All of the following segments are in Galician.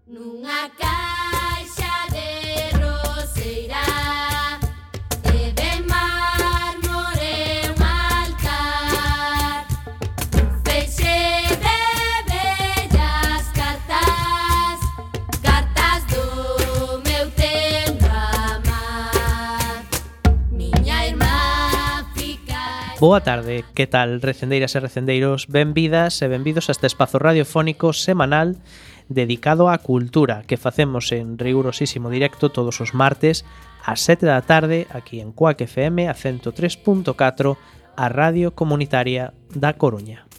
Nunha caixa de roseira de mármore un altar, un feixe de bellas cartas, cartas do meu tempo amar. Miña irmá fica... Boa tarde, que tal, recendeiras e recendeiros? Benvidas e benvidos a este espazo radiofónico semanal dedicado á cultura que facemos en rigurosísimo directo todos os martes ás 7 da tarde aquí en Cuac FM a 103.4, a Radio Comunitaria da Coruña.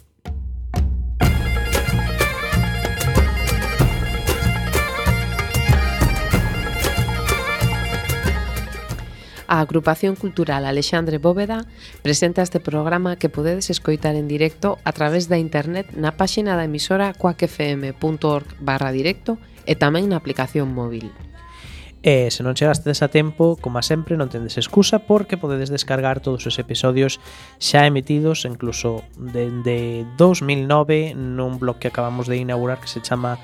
A Agrupación Cultural Alexandre Bóveda presenta este programa que podedes escoitar en directo a través da internet na páxina da emisora cuacfm.org/directo e tamén na aplicación móvil. E se non chegastes a tempo, como sempre, non tendes excusa porque podedes descargar todos os episodios xa emitidos, incluso dende 2009, nun blog que acabamos de inaugurar que se chama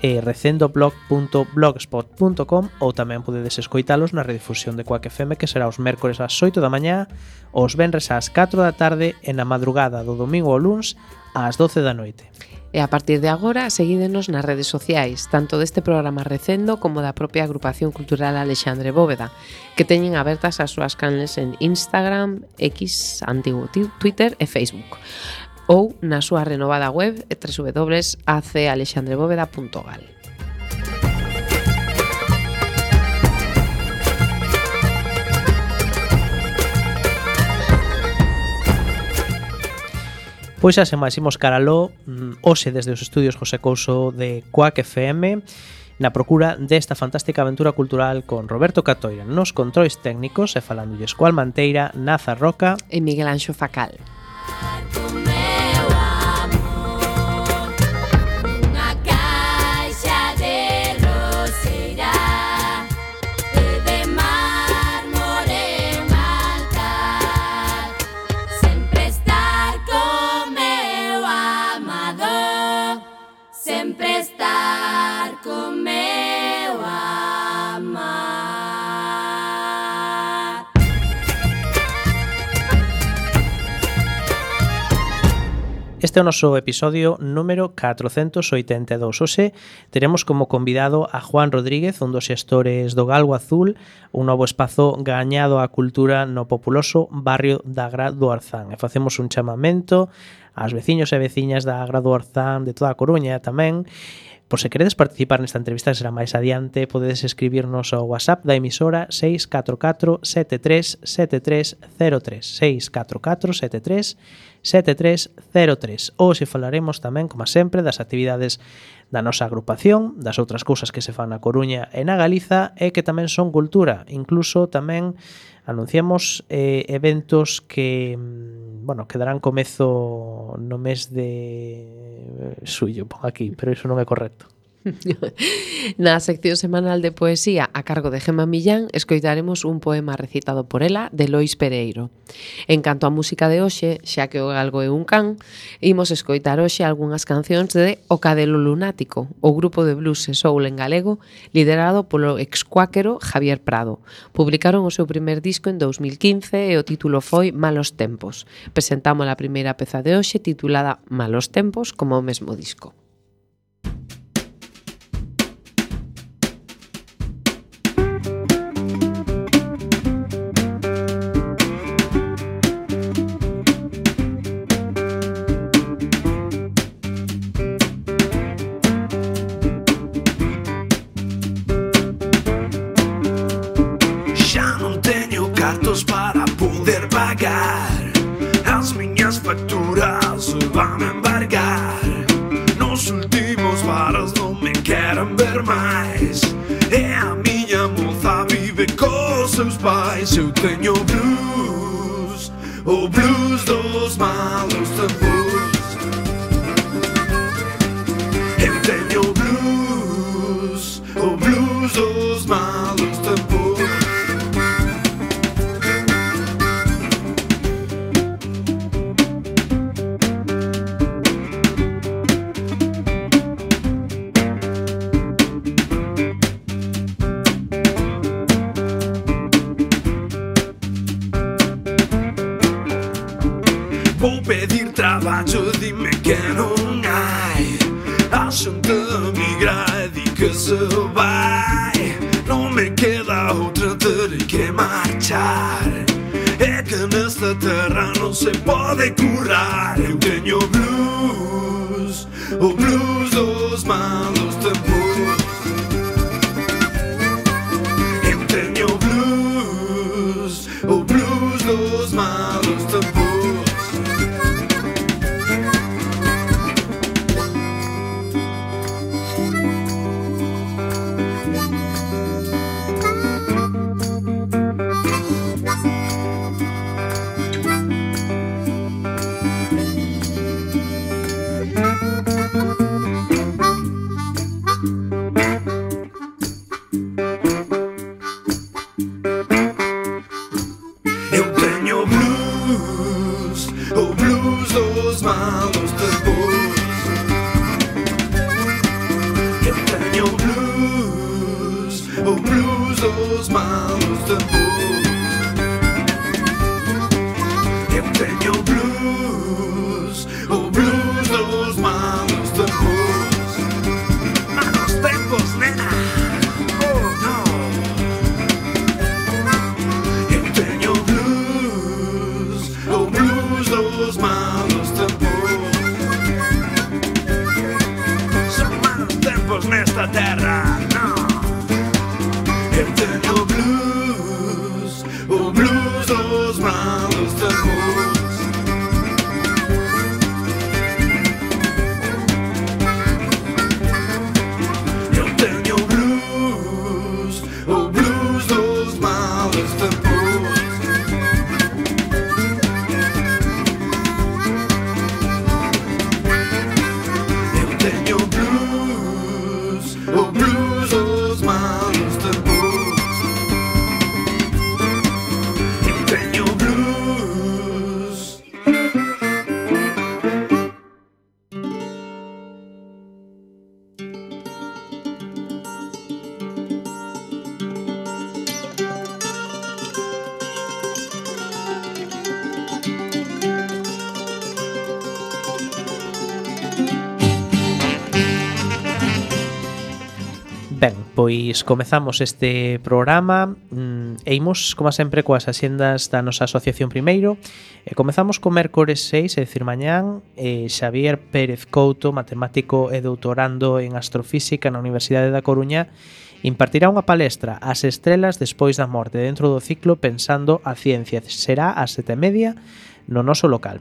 recendoblog.blogspot.com, ou tamén podedes escoitalos na redifusión de Cuac FM, que será os mércores ás 8 da mañá, os venres ás 4 da tarde e na madrugada do domingo ao luns ás 12 da noite. E a partir de agora, seguídenos nas redes sociais, tanto deste programa Recendo como da propia Agrupación Cultural Alexandre Bóveda, que teñen abertas as súas canles en Instagram, X, antigo Twitter e Facebook, ou na súa renovada web www.acalexandrebóveda.gal. Pois xa se máis imos caraló, hoxe desde os estudios José Couso de Cuac FM, na procura desta fantástica aventura cultural con Roberto Catoira nos controis técnicos e falándolles coa Almanteira, Naza Roca e Miguel Anxo Facal. Este é o noso episodio número 482. Hoxe teremos como convidado a Juan Rodríguez, un dos xestores do Galgo Azul, un novo espazo gañado á cultura no populoso barrio da Agra do Arzán. E facemos un chamamento ás veciños e veciñas da Agra do Arzán, de toda a Coruña tamén. Por se queredes participar nesta entrevista, que será máis adiante, podedes escribirnos ao WhatsApp da emisora 644 73 7303, 644 73 7303. Hoxe falaremos tamén, como sempre, das actividades da nosa agrupación, das outras cousas que se fan na Coruña e na Galiza e que tamén son cultura. Incluso tamén anunciamos eventos que, que darán comezo no mes de xullo, pon aquí, pero iso non é correcto. Na sección semanal de poesía a cargo de Gemma Millán escoitaremos un poema recitado por ela de Lois Pereiro. En canto á música de hoxe, xa que o galgo é un can, imos escoitar hoxe algunhas cancións de O Cadelo Lunático, o grupo de blues e soul en galego liderado polo excuáquero Javier Prado. Publicaron o seu primer disco en 2015 e o título foi Malos Tempos. Presentamos a primeira peza de hoxe titulada Malos Tempos como o mesmo disco. Para poder pagar as miñas facturas van a embargar. Nos últimos varas non me queren ver máis e a miña moza vive cos seus pais. Eu teño blues, o blues dos malos tempos. Eu teño blues, o blues dos malos tempos. xente migra e di que se vai. Non me queda outra, terei que marchar. É que nesta terra non se pode curar. Eu teño blues, o blues dos malos tempos. Eu teño blues, o blues dos malos tempos. Ben, pois comezamos este programa e imos, como sempre, coas axendas da nosa asociación primeiro. Comezamos co mércores 6, é dicir, mañán. Xavier Pérez Couto, matemático e doutorando en astrofísica na Universidade da Coruña, impartirá unha palestra As estrelas despois da morte dentro do ciclo Pensando a ciencia. Será ás 7:30 no noso local.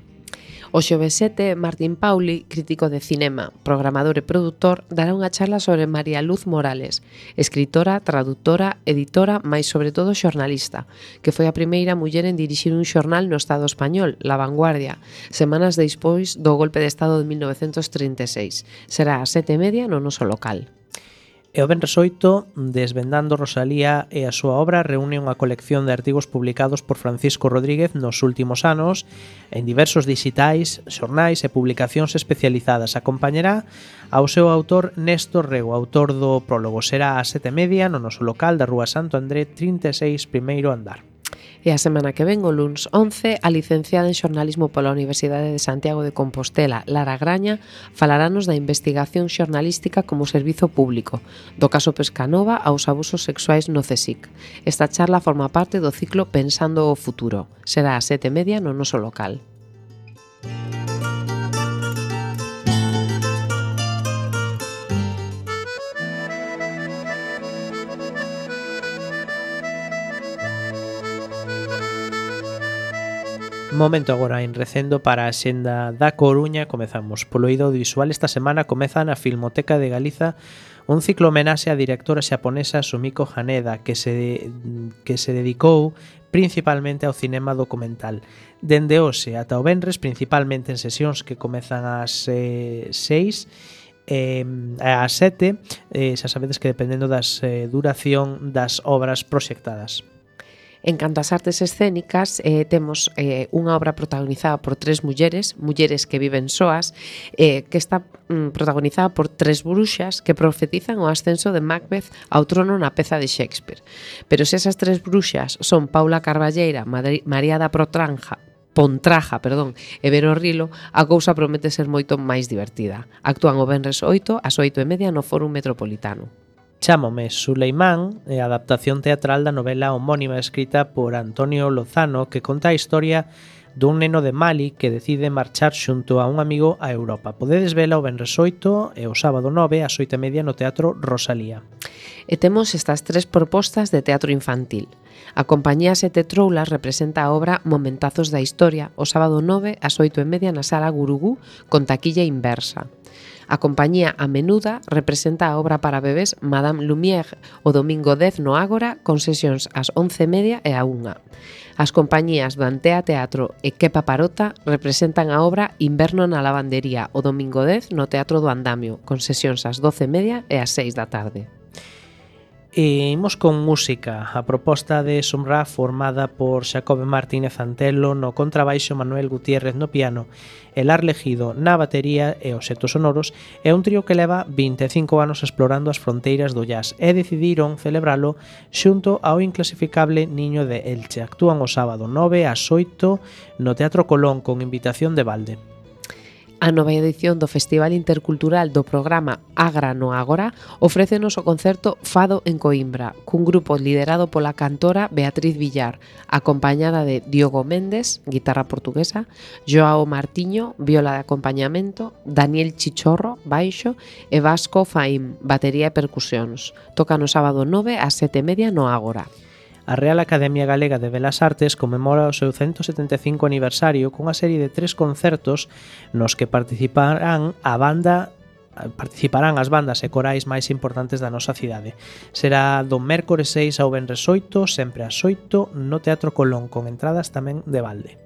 O xoves 7, Martín Pauli, crítico de cinema, programador e produtor, dará unha charla sobre María Luz Morales, escritora, traductora, editora, mais sobre todo xornalista, que foi a primeira muller en dirixir un xornal no Estado español, La Vanguardia, semanas despois do golpe de Estado de 1936. Será ás 7:30 no noso local. E o venres 8, Desvendando Rosalía e a súa obra reúne unha colección de artigos publicados por Francisco Rodríguez nos últimos anos en diversos dixitais, xornais e publicacións especializadas. Acompañará ao seu autor Néstor Rego, autor do prólogo. Será ás 7:30 no noso local da Rúa Santo André 36, primeiro andar. E a semana que ven, o luns 11, a licenciada en xornalismo pola Universidade de Santiago de Compostela, Lara Graña, falaranos da investigación xornalística como servizo público, do caso Pescanova aos abusos sexuais no CSIC. Esta charla forma parte do ciclo Pensando o futuro. Será ás 7:30 no noso local. Momento agora en recendo para a xenda da Coruña. Comezamos polo eido audiovisual. Esta semana comeza na Filmoteca de Galiza un ciclo homenaxe á directora xaponesa Sumiko Haneda que se dedicou principalmente ao cinema documental. Dende hoxe ata o venres, principalmente en sesións que comezan ás 6 ás 7, xa sabedes que dependendo das duración das obras proxectadas. En canto ás artes escénicas, temos unha obra protagonizada por tres mulleres que viven soas, que está protagonizada por tres bruxas que profetizan o ascenso de Macbeth ao trono na peza de Shakespeare. Pero se esas tres bruxas son Paula Carballeira, María da Protranja Pontraja, e ver o Rilo, a cousa promete ser moito máis divertida. Actúan o venres 8 ás 8:30 no Fórum Metropolitano. Chámome Suleimán é a adaptación teatral da novela homónima escrita por Antonio Lozano que conta a historia dun neno de Mali que decide marchar xunto a un amigo a Europa. Podedes vela o venres 8 e o sábado 9 ás 8:30 no Teatro Rosalía. E temos estas 3 propostas de teatro infantil. A compañía Sete Troulas representa a obra Momentazos da Historia o sábado 9 ás 8:30 na Sala Gurugú con taquilla inversa. A compañía A Menuda representa a obra para bebés Madame Lumière o domingo 10 no Ágora con sesións ás 11:30 e a 1. As compañías do Antea Teatro e Kepa Parota representan a obra Inverno na Lavandería o domingo 10 no Teatro do Andamio con sesións ás 12:30 e ás 6 da tarde. E imos con música. A proposta de Sumra formada por Xacobe Martínez Antelo no contrabaixo, Manuel Gutiérrez no piano, Elar Legido na batería e os xetos sonoros é un trío que leva 25 anos explorando as fronteiras do jazz e decidiron celebralo xunto ao inclasificable Niño de Elche. Actúan o sábado 9 ás 8 no Teatro Colón con invitación de balde. A nova edición do Festival Intercultural do programa Agra no Ágora ofrécenos o concerto Fado en Coimbra, cun grupo liderado pola cantora Beatriz Villar, acompañada de Diogo Méndez, guitarra portuguesa, Joao Martiño, viola de acompañamento, Daniel Chichorro, baixo, e Vasco Faim, batería e percusións. Toca no sábado 9 ás 7:30 no Ágora. A Real Academia Galega de Belas Artes conmemora o seu 175 aniversario cunha serie de 3 concertos nos que participarán as bandas e corais máis importantes da nosa cidade. Será do mércores 6 ao venres 8, sempre ás 8, no Teatro Colón, con entradas tamén de balde.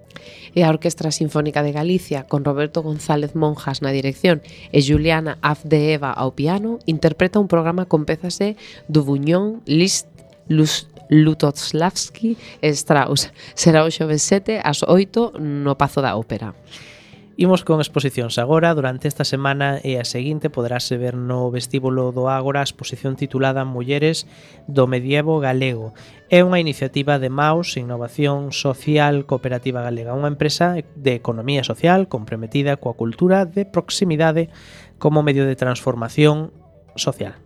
E a Orquestra Sinfónica de Galicia, con Roberto González Monjas na dirección e Juliana Afdeeva ao piano, interpreta un programa con pezas de Dubuñón, Liszt, Lutoslavski e Strauss. Será o xoves 7 ás 8 no Pazo da Ópera. Imos con exposicións agora. Durante esta semana e a seguinte poderase ver no vestíbulo do Ágora a exposición titulada Mulleres do Medievo Galego. É unha iniciativa de MAUS, Innovación Social Cooperativa Galega, unha empresa de economía social comprometida coa cultura de proximidade como medio de transformación social.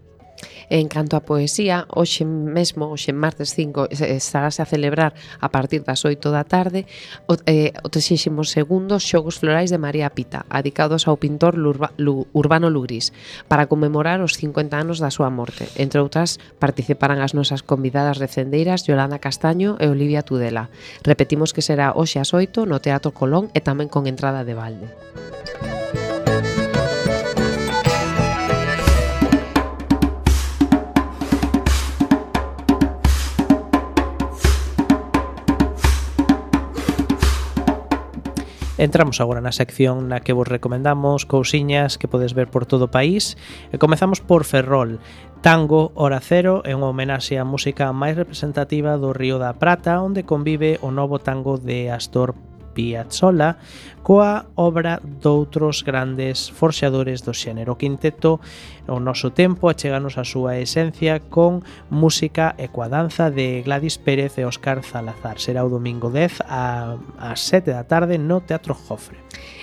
En canto a poesía, hoxe martes 5, estarase a celebrar a partir das 8 da tarde o 32º Xogos Florais de María Pita, dedicados ao pintor Urbano Lugrís, para conmemorar os 50 anos da súa morte. Entre outras, participarán as nosas convidadas recendeiras Yolanda Castaño e Olivia Tudela. Repetimos que será hoxe ás 8 no Teatro Colón e tamén con entrada de balde. Entramos agora na sección na que vos recomendamos cousiñas que podes ver por todo o país e comezamos por Ferrol. Tango Hora Cero é unha homenaxe á música máis representativa do Río da Prata, onde convive o novo tango de Astor Piazzolla coa obra doutros grandes forxadores do xénero. O quinteto O Noso Tempo acheganos a súa esencia con música e coa danza de Gladys Pérez e Óscar Salazar. Será o domingo 10 ás 7 da tarde no Teatro Jofre.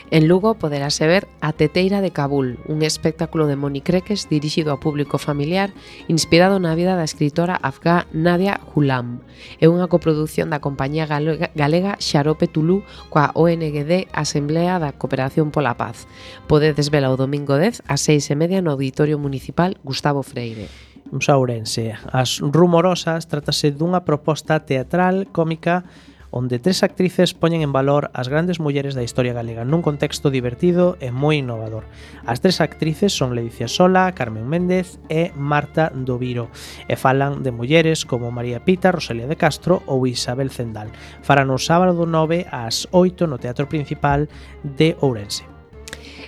En Lugo poderase ver A Teteira de Cabul, un espectáculo de Moni Creques dirixido ao público familiar, inspirado na vida da escritora afgá Nadia Ghulam. É unha coproducción da compañía galega Xarope Tulú coa ONGD Asamblea da Cooperación pola Paz. Podedes vela o domingo 10 ás 6:30 no Auditorio Municipal Gustavo Freire. Vamos a Ourense. As Rumorosas trátase dunha proposta teatral cómica onde 3 actrices poñen en valor as grandes mulleres da historia galega nun contexto divertido e moi innovador. As 3 actrices son Ledicia Sola, Carmen Méndez e Marta Doviro e falan de mulleres como María Pita, Rosalía de Castro ou Isabel Zendal. Farán o sábado 9 ás 8 no Teatro Principal de Ourense.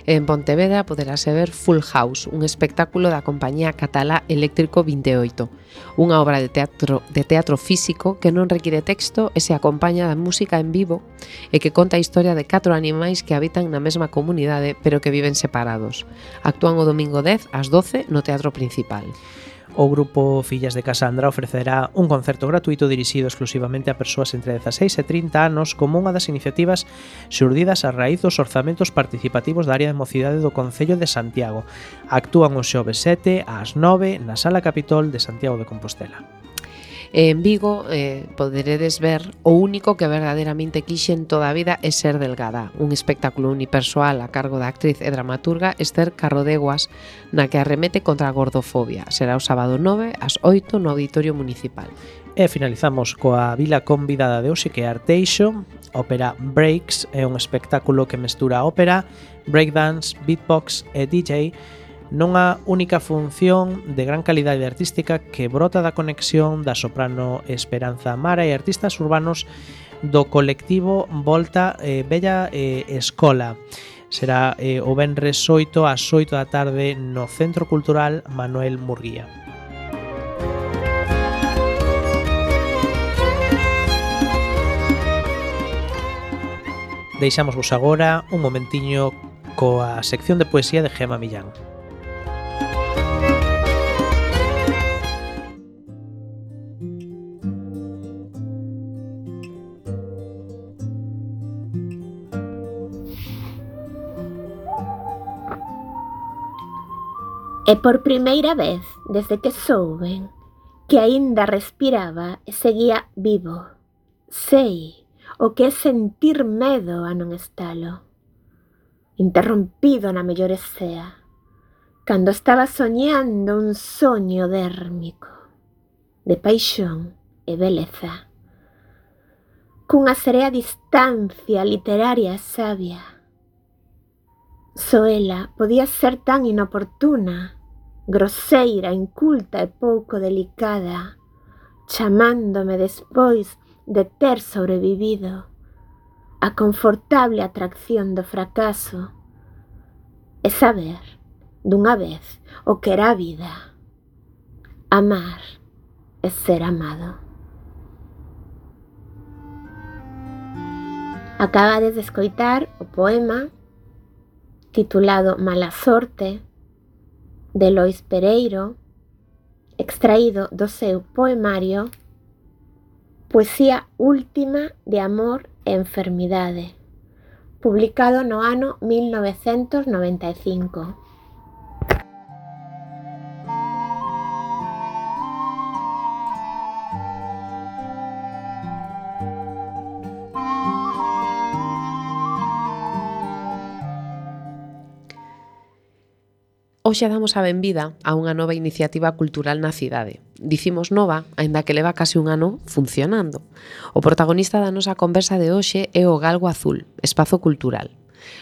En Pontevedra poderase ver Full House, un espectáculo da compañía catalá Eléctrico 28, unha obra de teatro físico que non require texto e se acompaña da música en vivo e que conta a historia de 4 animais que habitan na mesma comunidade pero que viven separados. Actúan o domingo 10 ás 12 no Teatro Principal. O grupo Fillas de Casandra ofrecerá un concerto gratuito dirixido exclusivamente a persoas entre 16 e 30 anos como unha das iniciativas xurdidas a raíz dos orzamentos participativos da área de mocidade do Concello de Santiago. Actúan o xoves 7 ás 9 na Sala Capitol de Santiago de Compostela. En Vigo poderedes ver O único que verdadeiramente quixen toda a vida é ser delgada, un espectáculo unipersoal a cargo da actriz e dramaturga Esther Carrodeguas, na que arremete contra a gordofobia. Será o sábado 9 ás 8 no Auditorio Municipal. E finalizamos coa vila convidada de hoxe, que é Arteixo. Ópera Breaks é un espectáculo que mestura ópera, breakdance, beatbox e DJ nunha única función de gran calidade artística que brota da conexión da soprano Esperanza Amara e artistas urbanos do colectivo Volta Bella Escola. Será o venres 8 ás 8 da tarde no Centro Cultural Manuel Murguía. Deixámosvos agora un momentiño coa sección de poesía de Gema Millán. E por primeira vez, desde que souben que aínda respiraba e seguía vivo, sei o que é sentir medo a non estalo. Interrompido na mellor escea, cando estaba soñando un soño dérmico, de paixón e beleza, cunha serea distancia literaria e sabia. Só ela podía ser tan inoportuna, groseira, inculta e pouco delicada, chamándome despois de ter sobrevivido a confortable atracción do fracaso e saber, dunha vez, o que era a vida, amar e ser amado. Acabades de escoitar o poema titulado Mala sorte, de Lois Pereiro, extraído do seu poemario Poesía última de amor e enfermidade, publicado no ano 1995. Hoxe damos a benvida a unha nova iniciativa cultural na cidade. Dicimos nova, aínda que leva case un ano funcionando. O protagonista da nosa conversa de hoxe é o Galgo Azul, espazo cultural.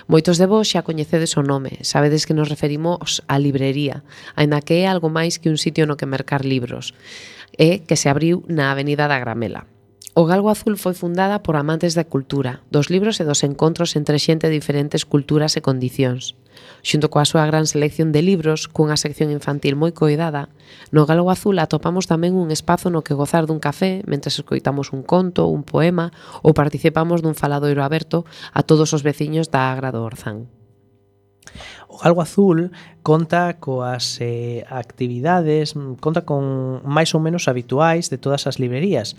Moitos de vos xa coñecedes o nome, sabedes que nos referimos á librería, aínda que é algo máis que un sitio no que mercar libros, e que se abriu na Avenida da Gramela. O Galgo Azul foi fundada por amantes da cultura, dos libros e dos encontros entre xente de diferentes culturas e condicións. Xunto coa súa gran selección de libros, cunha sección infantil moi coidada, no Galgo Azul atopamos tamén un espazo no que gozar dun café mentres escoitamos un conto, un poema ou participamos dun faladoiro aberto a todos os veciños da Agra do Orzán. O Galgo Azul conta coas actividades, conta con máis ou menos habituais de todas as librerías,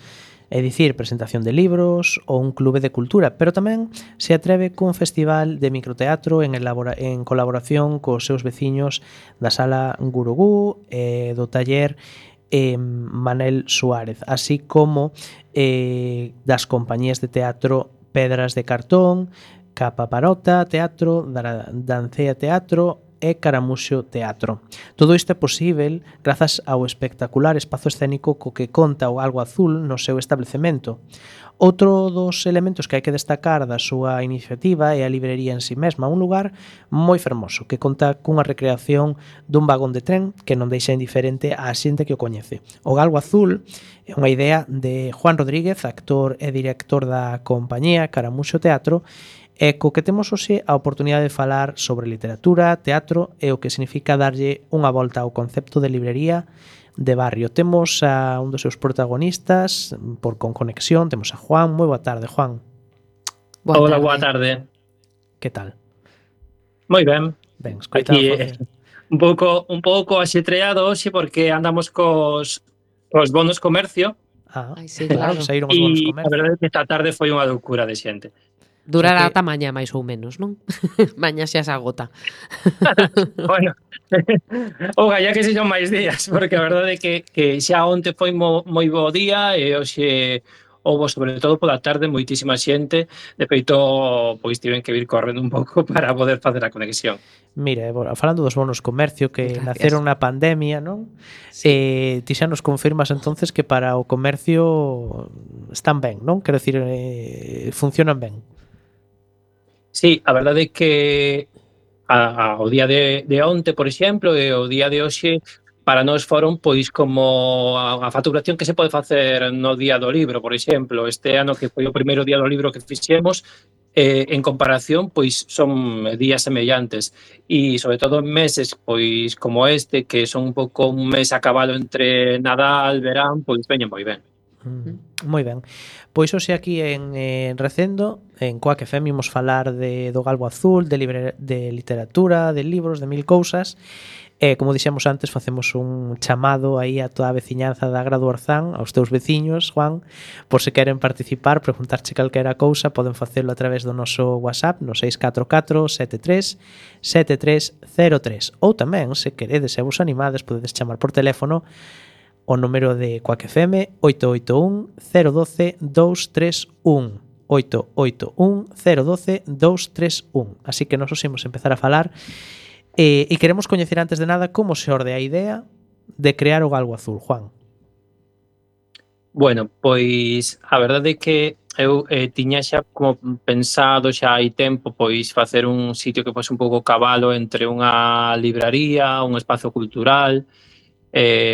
é dicir, presentación de libros ou un clube de cultura, pero tamén se atreve cun festival de microteatro en colaboración cos seus veciños da Sala Gurugú e do taller Manel Suárez, así como das compañías de teatro Pedras de Cartón, Capa Parota Teatro, Dancea Teatro e Caramuxo Teatro. Todo isto é posível grazas ao espectacular espazo escénico co que conta o Galgo Azul no seu establecemento. Outro dos elementos que hai que destacar da súa iniciativa é a librería en si mesma, un lugar moi fermoso que conta cunha recreación dun vagón de tren que non deixa indiferente á xente que o coñece. O Galgo Azul é unha idea de Juan Rodríguez, actor e director da compañía Caramuxo Teatro, e co que temos hoxe a oportunidade de falar sobre literatura, teatro e o que significa darlle unha volta ao concepto de librería de barrio. Temos a un dos seus protagonistas con conexión, temos a Juan. Moi boa tarde, Juan. Hola, boa tarde. Que tal? Moi ben. Ben, escoita, un pouco axetreado hoxe porque andamos cos bonos comercio Ai, sí, claro, claro. saíron os bonos e a comercio. verdade é que esta tarde foi unha loucura de xente. Durará que- ata mañá máis ou menos, non? Mañá xa se agota. Bueno, ojalá que sexan máis días, porque a verdade é que xa onte foi moi bo día e hoxe houbo, sobre todo pola tarde, moitísima xente. De feito, pois tiven que vir correndo un pouco para poder facer a conexión. Mira, falando dos bonos comercio que Gracias. naceron na pandemia, non? Sí. Ti xa nos confirmas entonces que para o comercio están ben, non? Quero dicir, funcionan ben. Sí, a verdade é que o día de onte, por exemplo, e o día de hoxe para nós foron pois como a facturación que se pode facer no día do libro, por exemplo. Este ano que foi o primeiro día do libro que fixemos, en comparación, pois son días semellantes e sobre todo en meses pois como este, que son un pouco un mes a cabalo entre Nadal, verán, pois veñen moi ben. Moi ben. Pois hoxe aquí en Recendo, en Coac FM, imos falar do Galgo Azul, de literatura, de libros, de mil cousas. Como dixemos antes, facemos un chamado aí a toda a veciñanza da Agra do Orzán, aos teus veciños, Juan, por se queren participar, preguntarche calquera cousa, poden facelo a través do noso WhatsApp no 644 73 7303. Ou tamén, se queredes e vos animades, podedes chamar por teléfono o número de Coac FM 881 012 231. 881 012 231. Así que nos os imos empezar a falar e queremos coñecer antes de nada como se orde a idea de crear o Galgo Azul, Juan. Bueno, pois a verdade é que eu tiña xa como pensado xa hai tempo pois facer un sitio que fose un pouco cabalo entre unha libraría, un espazo cultural,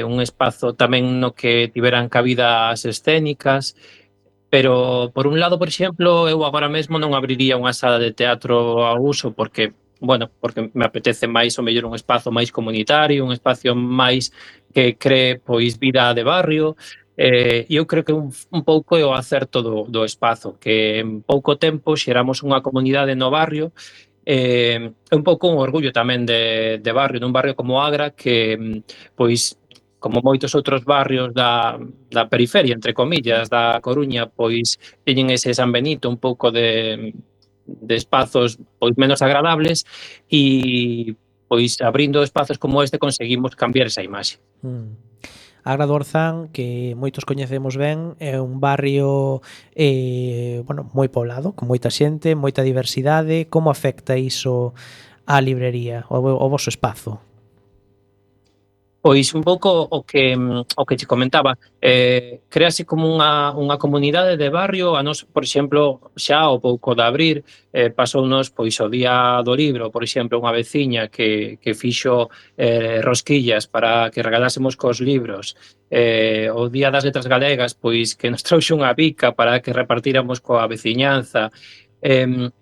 un espazo tamén no que tiveran cabida as escénicas, pero por un lado, por exemplo, eu agora mesmo non abriría unha sala de teatro ao uso porque me apetece máis o mellor un espazo máis comunitario, un espacio máis que cree pois vida de barrio. Eu creo que un pouco é o acerto do espazo, que en pouco tempo xeramos unha comunidade no barrio. É un pouco un orgullo tamén de barrio, dun barrio como Agra que, pois, como moitos outros barrios da periferia, entre comillas, da Coruña, pois teñen ese San Benito un pouco de espazos pois menos agradables e pois abrindo espazos como este conseguimos cambiar esa imaxe. A Agra do Orzán, que moitos coñecemos ben, é un barrio moi poblado, con moita xente, moita diversidade. Como afecta iso á librería, ao voso espazo? Pois un pouco o que che comentaba, créase como unha comunidade de barrio. A nos, por exemplo, xa ao pouco de abrir, pasounos pois o día do libro, por exemplo, unha veciña que fixo rosquillas para que regalásemos cos libros. O día das letras galegas, pois que nos trouxe unha bica para que repartíramos coa veciñanza.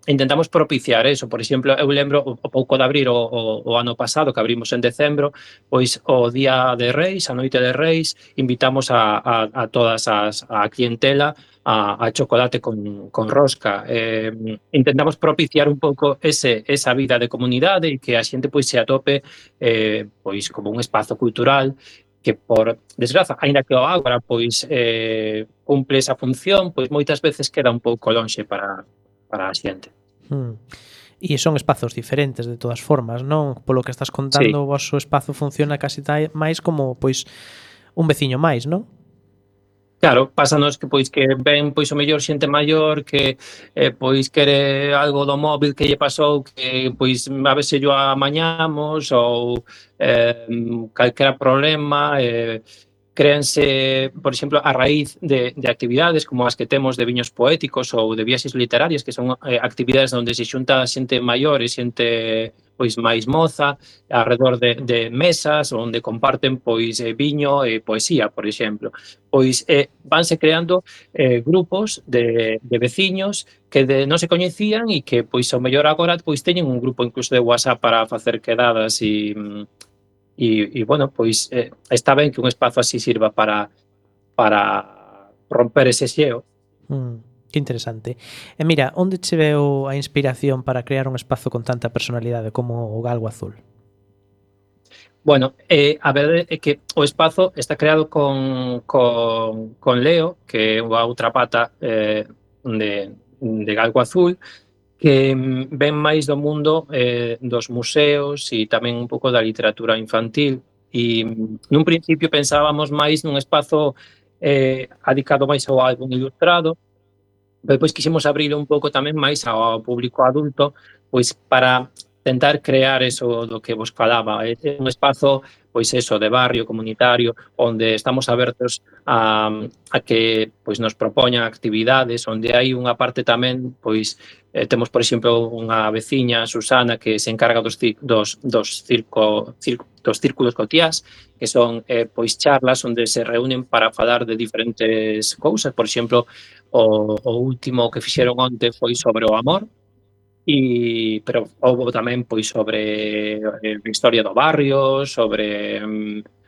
Intentamos propiciar eso. Por exemplo, eu lembro o pouco de abrir o ano pasado, que abrimos en decembro, pois o día de Reis, a noite de Reis, invitamos a todas a clientela a chocolate con rosca. Intentamos propiciar un pouco esa vida de comunidade e que a xente pois se atope pois como un espazo cultural que, por desgraza, aínda que o Ágora pois cumple esa función, pois moitas veces queda un pouco lonxe para a xente. E son espazos diferentes de todas formas, non? Polo que estás contando, o vosso espazo funciona casi máis como pois un veciño máis, non? Claro, pásanos que pois que ven pois o mellor xente maior que pois quere algo do móvil que lle pasou, que pois a ver se yo amañamos ou calquera problema. Créanse, por exemplo, a raíz de actividades como as que temos de viños poéticos ou de viaxes literarias, que son actividades onde se xunta xente maior e xente pois máis moza alrededor de mesas onde comparten pois viño e poesía, por exemplo. Pois vanse creando grupos de veciños que non se coñecían e que pois ao mellor agora pois teñen un grupo incluso de WhatsApp para facer quedadas e bueno, pois está ben que un espazo así sirva para romper ese xeo. Que interesante. E mira, onde che veo a inspiración para crear un espazo con tanta personalidade como o Galgo Azul? Bueno, a verdade é que o espazo está creado con Leo, que é a outra pata de Galgo Azul, que ven máis do mundo dos museos e tamén un pouco da literatura infantil. E nun principio pensábamos máis nun espazo adicado máis ao álbum ilustrado, pero depois quixemos abrir un pouco tamén máis ao público adulto, pois para tentar crear eso do que vos falaba, un espazo pois eso de barrio comunitario onde estamos abertos a que pois nos propoñan actividades, onde hai unha parte tamén pois temos por exemplo unha veciña, Susana, que se encarga dos círculos cotiás, que son pois charlas onde se reúnen para falar de diferentes cousas, por exemplo, o último que fixeron onte foi sobre o amor, pero houve tamén pois sobre a historia do barrio, sobre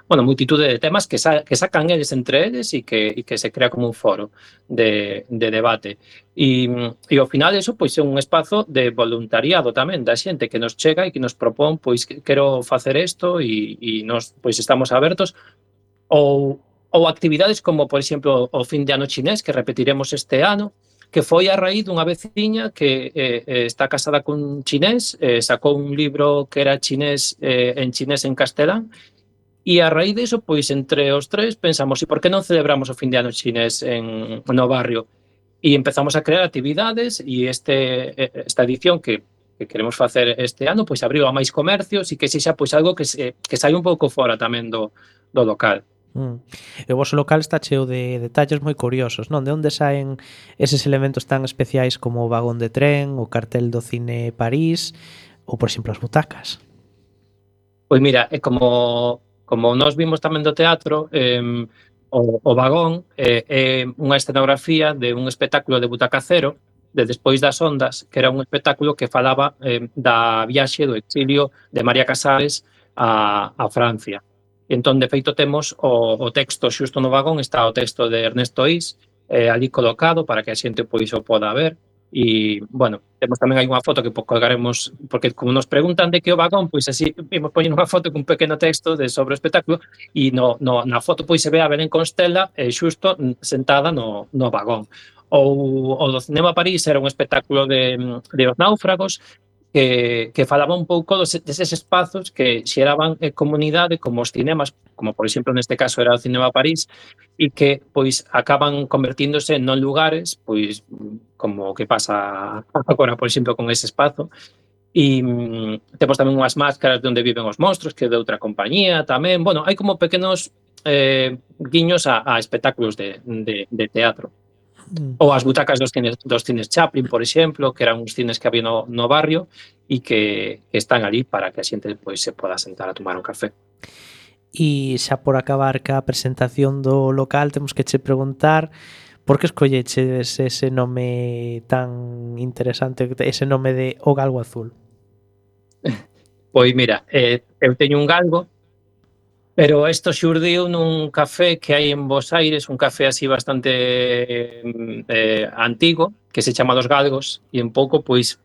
multitude de temas que sacan eles entre eles e que se crea como un foro de debate. E ao final eso pois é un espazo de voluntariado tamén da xente que nos chega e que nos propón pois quero facer isto e nos pois estamos abertos ou actividades como por exemplo o fin de ano chinés que repetiremos este ano, que foi a raíz dunha veciña que está casada cun chinés, sacou un libro que era chinés en castelán, e a raíz diso, pois, entre os tres, pensamos, e por que non celebramos o fin de ano chinés no barrio? E empezamos a crear actividades, e esta edición que queremos facer este ano, pois, abriu a máis comercios, e que sexa, pois, algo que sai un pouco fora tamén do local. E o vosso local está cheo de detalles moi curiosos, non? De onde saen eses elementos tan especiais como o vagón de tren, o cartel do cine París ou, por exemplo, as butacas? Pois mira, é como nós vimos tamén do teatro, o vagón é unha escenografía de un espectáculo de Butaca Cero, de Despois das Ondas, que era un espectáculo que falaba da viaxe do exilio de María Casares a Francia. Entón, de feito, temos o texto xusto no vagón, está o texto de Ernesto Is, ali colocado para que a xente pois o poda ver. E, bueno, temos tamén hai unha foto que colgaremos, porque como nos preguntan de que o vagón, pois así vimos poñer unha foto con un pequeno texto sobre o espectáculo e na foto pois se ve a Belén Constela xusto sentada no vagón. Ou o do Cinema París era un espectáculo de Os Náufragos, que falaba un pouco deses espazos que xeraban comunidade como os cinemas, como por exemplo neste caso era o Cinema París, e que pois acaban convertíndose non lugares, pois como o que pasa agora por exemplo con ese espazo. E temos tamén unhas máscaras de onde viven os monstros, que é de outra compañía tamén. Bueno, hai como pequenos guiños a espectáculos de teatro. Ou as butacas dos cines Chaplin, por exemplo, que eran uns cines que había no barrio e que están ali para que a xente pois, se poda sentar a tomar un café. E xa por acabar ca presentación do local temos que che preguntar por que escolleches ese nome tan interesante, ese nome de O Galgo Azul. Pois mira, eu teño un galgo, pero isto xurdiu nun café que hai en Bos Aires, un café así bastante antigo, que se chama Dos Galgos, e un pouco, pois,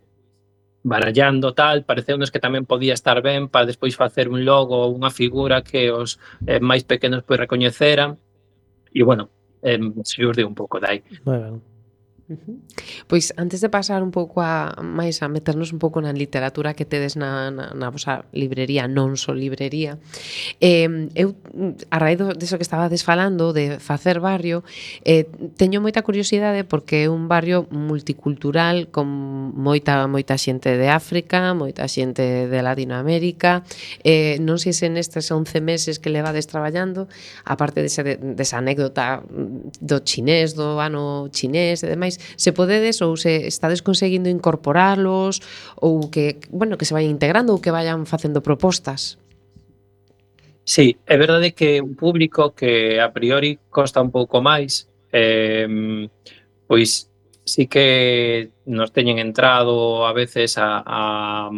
barallando tal, pareceunos que tamén podía estar ben para despois facer un logo ou unha figura que os máis pequenos pois recoñeceran, e, bueno, xurdiu un pouco dai. Moi ben. Pois antes de pasar un pouco a meternos un pouco na literatura que tedes na vosa librería, non só librería, eu a raíz deso que estabades falando de facer barrio, teño moita curiosidade porque é un barrio multicultural con moita xente de África, moita xente de Latinoamérica, non sei se nestes 11 meses que levades traballando, aparte desa anécdota do chinés, do ano chinés e demais, se podedes ou se estades conseguindo incorporalos ou que se vayan integrando ou que vayan facendo propostas. Sí, é verdade que un público que a priori costa un pouco máis, pois sí que nos teñen entrado a veces a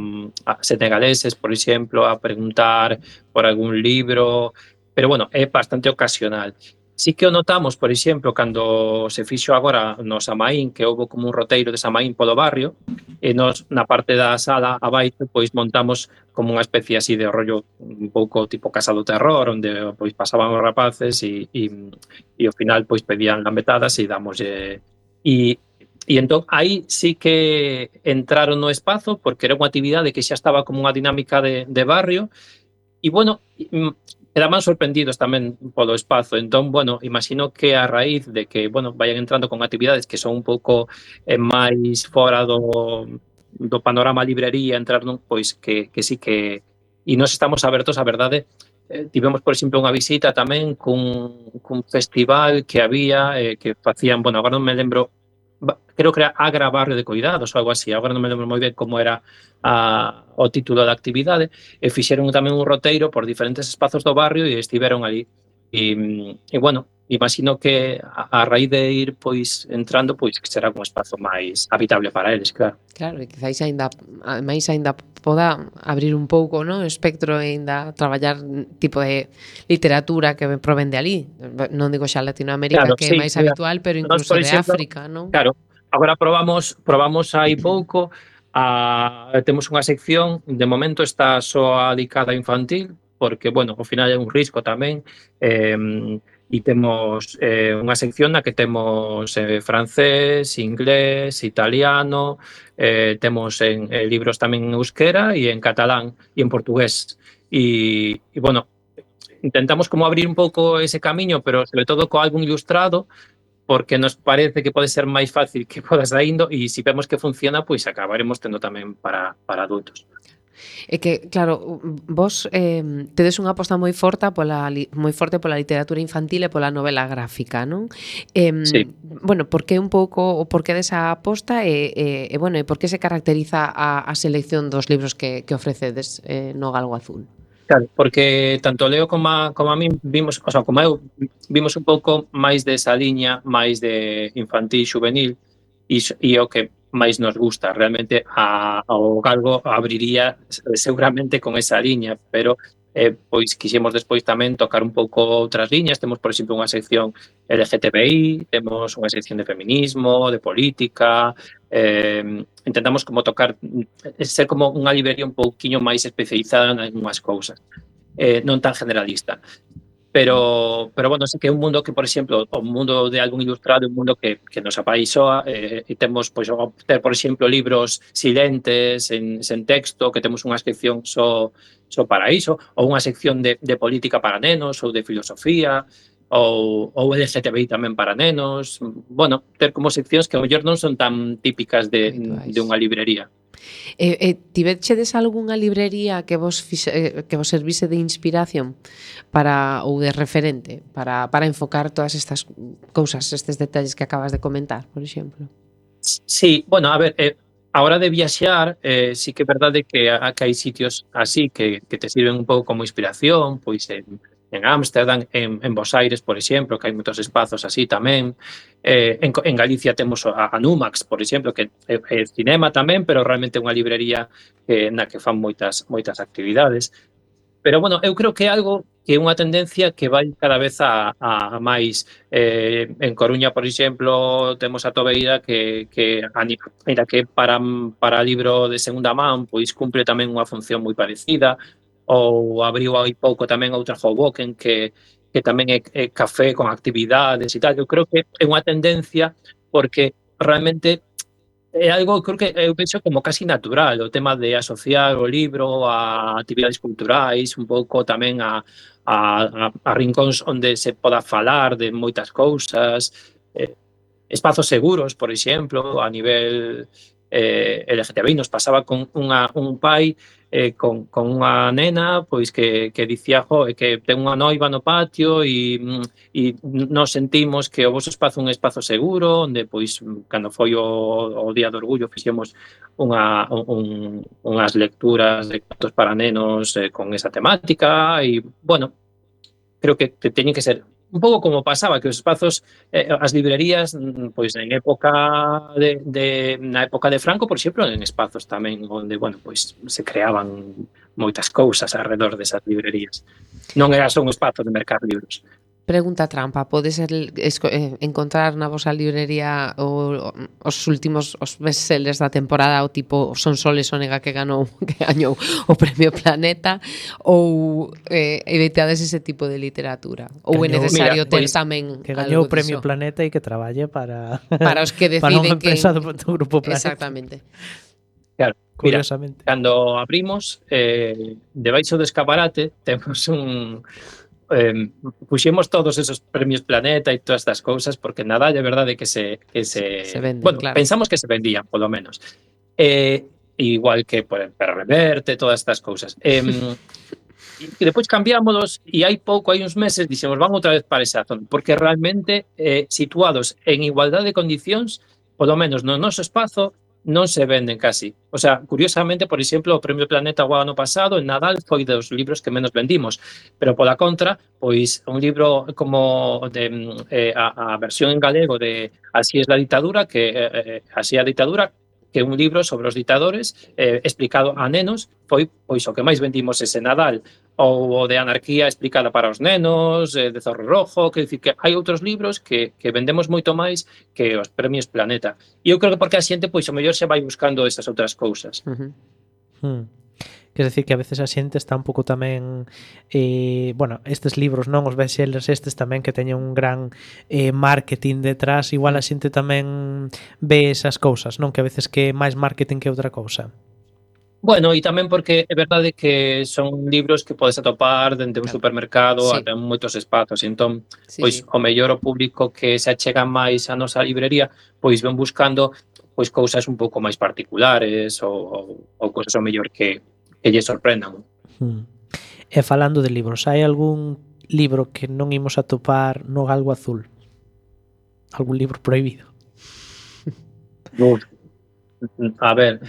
senegaleses, por exemplo, a preguntar por algún libro, pero bueno, é bastante ocasional. Sí que o notamos, por exemplo, cando se fixo agora no Samaín, que houve como un roteiro de Samaín polo barrio, e nos na parte da sala abaixo pois montamos como unha especie así de rollo un pouco tipo Casa do Terror, onde pois pasaban os rapaces e ao final pois pedían lambetadas e damoslle e entón aí sí que entraron no espazo porque era unha actividade que xa estaba como unha dinámica de barrio e bueno, quedaban sorprendidos tamén polo espazo. Entón, bueno, imagino que a raíz de que, bueno, vayan entrando con actividades que son un pouco máis fora do panorama librería, entrar nun, pois que sí que... E nós estamos abertos, a verdade, tivemos, por exemplo, unha visita tamén cun festival que había, que facían, bueno, agora non me lembro, creo que era Agra Barrio de Coidados ou algo así, agora non me lembro moi ben como era o título da actividade, e fixeron tamén un roteiro por diferentes espazos do barrio e estiveron ali. E bueno, imagino que a raíz de ir pois entrando, pois que será un espazo máis habitable para eles, claro. Claro, e quizáis máis aínda poda abrir un pouco, no, o espectro e aínda traballar tipo de literatura que proven de ali. Non digo xa Latinoamérica, Claro, que é sí, máis mira, habitual, pero nós, incluso por de exemplo, África, non? Claro, agora probamos hai pouco, temos unha sección, de momento está só dedicada a infantil, porque, bueno, ao final é un risco tamén, e temos unha sección na que temos francés, inglés, italiano, temos en libros tamén en euskera e en catalán e en portugués. E bueno, intentamos como abrir un pouco ese camiño, pero sobre todo co álbum ilustrado, porque nos parece que pode ser máis fácil que podas saindo e se vemos que funciona, pois acabaremos tendo tamén para adultos. É que, claro, vos tedes unha aposta moi forte pola literatura infantil e pola novela gráfica, non? Sí. Bueno, por que un pouco o porqué desa aposta e bueno, e por que se caracteriza a selección dos libros que ofrecedes no Galgo Azul? Claro, porque tanto Leo como a min vimos, o sea, como eu, vimos un pouco máis desa liña, máis de infantil, juvenil, e o que máis nos gusta. Realmente ao Galgo abriría seguramente con esa liña, pero pois quixemos despois tamén tocar un pouco outras liñas. Temos, por exemplo, unha sección LGTBI, temos unha sección de feminismo, de política, intentamos como tocar, ser como unha librería un pouquiño máis especializada en unhas cousas, non tan generalista. Pero bueno, sí que é un mundo que, por exemplo, o mundo de álbum ilustrado é un mundo que nos apaixoa, e temos, pois, ter, por exemplo, libros silentes, sen texto, que temos unha sección só para iso, ou unha sección de política para nenos, ou de filosofía, ou LGTBI tamén para nenos. Bueno, ter como seccións que ao mellor non son tan típicas de unha librería. Tivechedes algunha librería que vos servise de inspiración ou de referente para enfocar todas estas cousas, estes detalles que acabas de comentar, por exemplo? Sí, bueno, a ver, a hora de viaxear, sí que é verdade que hai sitios así que te sirven un pouco como inspiración, pois en Ámsterdam, en Bos Aires, por exemplo, que hai moitos espazos así tamén. En Galicia temos a Numax, por exemplo, que é cinema tamén, pero realmente é unha librería na que fan moitas actividades. Pero, bueno, eu creo que é algo que é unha tendencia que vai cada vez a máis. En Coruña, por exemplo, temos a Tobeira que mira, que para libro de segunda man, pois cumpre tamén unha función moi parecida. Ou abriu hai pouco tamén outra Hoboken que tamén é café con actividades e tal. Eu creo que é unha tendencia porque realmente é algo, creo que eu penso como casi natural, o tema de asociar o libro a actividades culturais, un pouco tamén a rincóns onde se poda falar de moitas cousas, espazos seguros, por exemplo, a nivel LGTBI. Nos pasaba con un pai con unha nena pois que dicía que ten unha noiva no patio e nos sentimos que o vosso espazo é un espazo seguro, onde pois cando foi o Día do Orgullo fixemos unhas lecturas de contos para nenos con esa temática e, bueno, creo que teñen que ser un pouco como pasaba, que os espazos, as librerías, pois na época de Franco, por exemplo, en espazos tamén onde, bueno, pois se creaban moitas cousas alrededor desas librerías. Non era só un espazo de mercar libros. Pregunta trampa, podes encontrar na vosa librería os últimos os bestsellers da temporada, o tipo Son Soles Onega que gañou o Premio Planeta, ou evitades ese tipo de literatura? Ou é necesario ter tamén que gañou o algo Premio diso? Planeta e que traballe para Os que para unha deciden empresa que... do Grupo Planeta. Exactamente. Claro, mira, Curiosamente. cando abrimos, debaixo do escaparate temos puxemos todos esos premios Planeta e todas estas cousas, porque Nadal é verdade que se venden, bueno, claro. pensamos que se vendían, polo menos. Igual que Perra Reverte, todas estas cousas. E depois cambiámonos e hai uns meses dixemos van outra vez para esa zona, porque realmente situados en igualdade de condicións, polo menos no noso espazo, non se venden casi. O sea, curiosamente, por exemplo, o Premio Planeta o ano pasado, en Nadal, foi dos libros que menos vendimos. Pero pola contra, pois un libro como a versión en galego de Así es la dictadura, Así é a dictadura, que é un libro sobre os dictadores explicado a nenos, foi pois o que máis vendimos ese Nadal. Ou o de Anarquía explicada para os nenos, de Zorro Rojo, que dicir que hai outros libros que vendemos moito máis que os premios Planeta. E eu creo que porque a xente, pois, o mellor se vai buscando estas outras cousas. Quer decir que a veces a xente está un pouco tamén bueno, estes libros, non os bestsellers estes tamén que teñen un gran marketing detrás, igual a xente tamén ve esas cousas, non? Que a veces que é máis marketing que outra cousa. Bueno, e tamén porque é verdade que son libros que podes atopar dende un supermercado ata moitos espazos, entón, pois, o mellor o público que se achega máis a nosa librería, pois ven buscando pois cousas un pouco máis particulares ou cousas o mellor que lle sorprendan. E falando de libros, hai algún libro que non imos atopar no Galgo Azul? Algún libro prohibido? A ver,